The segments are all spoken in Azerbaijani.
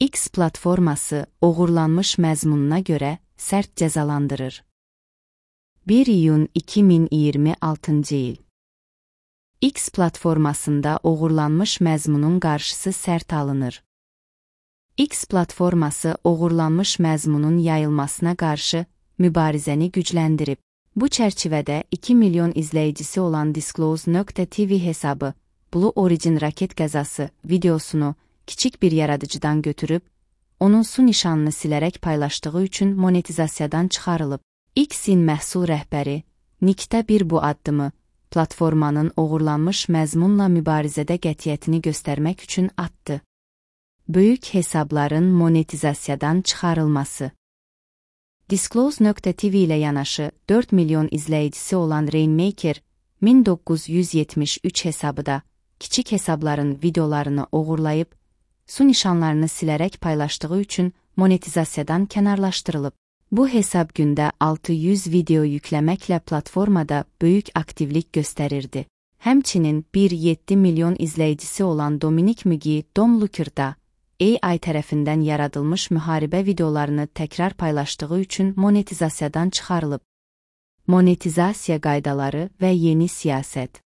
X platforması oğurlanmış məzmununa görə sərt cəzalandırır. 1 iyun 2026 il. X platformasında oğurlanmış məzmunun qarşısı sərt alınır. X platforması oğurlanmış məzmunun yayılmasına qarşı mübarizəni gücləndirib. Bu çərçivədə 2 milyon izləyicisi olan Disclose.tv hesabı Blue Origin raket qəzası videosunu kiçik bir yaradıcıdan götürüb, onun su nişanını silərək paylaşdığı üçün monetizasiyadan çıxarılıb. X-in məhsul rəhbəri Nickdə bir bu addımı platformanın oğurlanmış məzmunla mübarizədə qətiyyətini göstərmək üçün atdı. Böyük hesabların monetizasiyadan çıxarılması. Disclose.tv ilə yanaşı 4 milyon izləyicisi olan Rainmaker 1973 hesabı da kiçik hesabların videolarını oğurlayıb, su nişanlarını silərək paylaşdığı üçün monetizasiyadan kənarlaşdırılıb. Bu hesab gündə 600 video yükləməklə platformada böyük aktivlik göstərirdi. Həmçinin 1,7 milyon izləyicisi olan Dominic Mugi Dom Looker'da AI tərəfindən yaradılmış müharibə videolarını təkrar paylaşdığı üçün monetizasiyadan çıxarılıb. Monetizasiya qaydaları və yeni siyasət.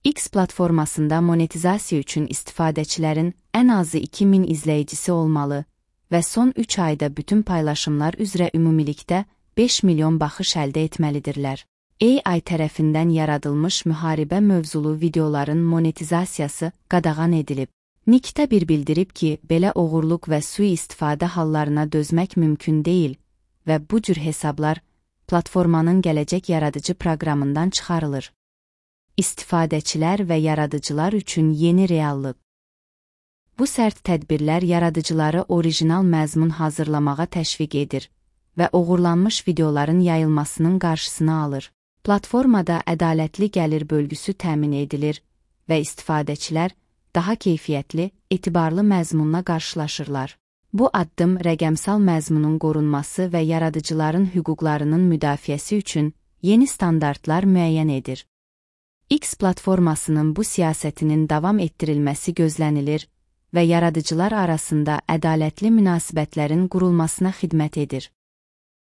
X platformasında monetizasiya üçün istifadəçilərin ən azı 2000 izləyicisi olmalı və son 3 ayda bütün paylaşımlar üzrə ümumilikdə 5 milyon baxış əldə etməlidirlər. AI tərəfindən yaradılmış müharibə mövzulu videoların monetizasiyası qadağan edilib. Nickdə bir bildirib ki, belə oğurluq və sui-istifadə hallarına dözmək mümkün deyil və bu cür hesablar platformanın gələcək yaradıcı proqramından çıxarılır. İstifadəçilər və yaradıcılar üçün yeni reallıq. Bu sərt tədbirlər yaradıcıları orijinal məzmun hazırlamağa təşviq edir və oğurlanmış videoların yayılmasının qarşısını alır. Platformada ədalətli gəlir bölgüsü təmin edilir və istifadəçilər daha keyfiyyətli, etibarlı məzmunla qarşılaşırlar. Bu addım rəqəmsal məzmunun qorunması və yaradıcıların hüquqlarının müdafiəsi üçün yeni standartlar müəyyən edir. X platformasının bu siyasətinin davam etdirilməsi gözlənilir və yaradıcılar arasında ədalətli münasibətlərin qurulmasına xidmət edir.